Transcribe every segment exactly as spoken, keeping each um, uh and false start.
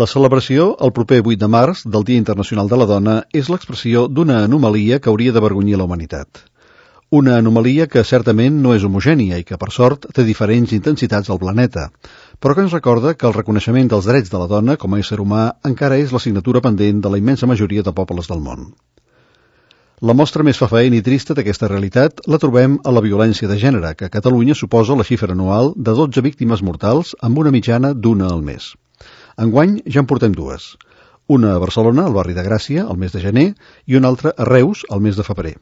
La celebració, el proper vuit de març, del Dia Internacional de la Dona, és l'expressió d'una anomalia que hauria d'avergonyir la humanitat. Una anomalia que certament no és homogènia i que, per sort, té diferents intensitats al planeta, però que ens recorda que el reconeixement dels drets de la dona com a ésser humà encara és l'assignatura pendent de la immensa majoria de pobles del món. La mostra més fefaent i trista d'aquesta realitat la trobem a la violència de gènere, que a Catalunya suposa la xifra anual de dotze víctimes mortals amb una mitjana d'una al mes. Enguany ja en portem dues. Una a Barcelona, al barri de Gràcia, al mes de gener, i una altra a Reus, al mes de febrer.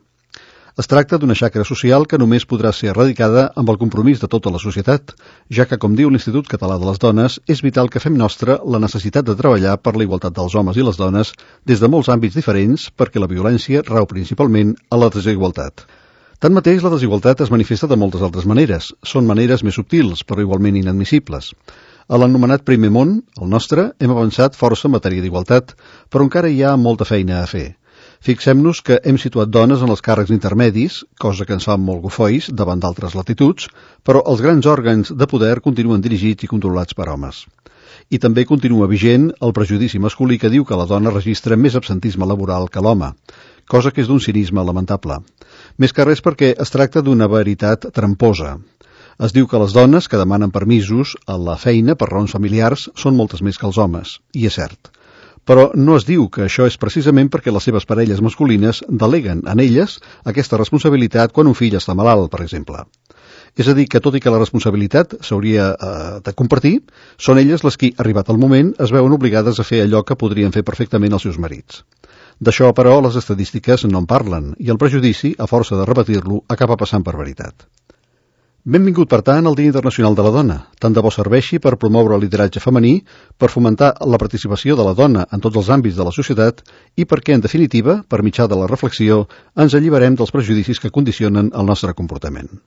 Es tracta d'una xacra social que només podrà ser erradicada amb el compromís de tota la societat, ja que, com diu l'Institut Català de les Dones, és vital que fem nostra la necessitat de treballar per la igualtat dels homes i les dones des de molts àmbits diferents perquè la violència rau principalment a la desigualtat. Tanmateix, la desigualtat es manifesta de moltes altres maneres. Són maneres més subtils, però igualment inadmissibles. A l'anomenat primer món, el nostre, hem avançat força en matèria d'igualtat, però encara hi ha molta feina a fer. Fixem-nos que hem situat dones en els càrrecs intermedis, cosa que ens fa molt gofois davant d'altres latituds, però els grans òrgans de poder continuen dirigits i controlats per homes. I també continua vigent el prejudici masculí que diu que la dona registra més absentisme laboral que l'home, cosa que és d'un cinisme lamentable. Més que res perquè es tracta d'una veritat tramposa. Es diu que les dones que demanen permisos a la feina per raons familiars són moltes més que els homes, i és cert. Però no es diu que això és precisament perquè les seves parelles masculines deleguen en elles aquesta responsabilitat quan un fill està malalt, per exemple. És a dir, que tot i que la responsabilitat s'hauria eh, de compartir, són elles les qui, arribat el moment, es veuen obligades a fer allò que podrien fer perfectament els seus marits. D'això, però, les estadístiques no en parlen, i el prejudici, a força de repetir-lo, acaba passant per veritat. Benvingut, per tant, al Dia Internacional de la Dona. Tant de bo serveixi per promoure el lideratge femení, per fomentar la participació de la dona en tots els àmbits de la societat i perquè, en definitiva, per mitjà de la reflexió, ens alliberem dels prejudicis que condicionen el nostre comportament.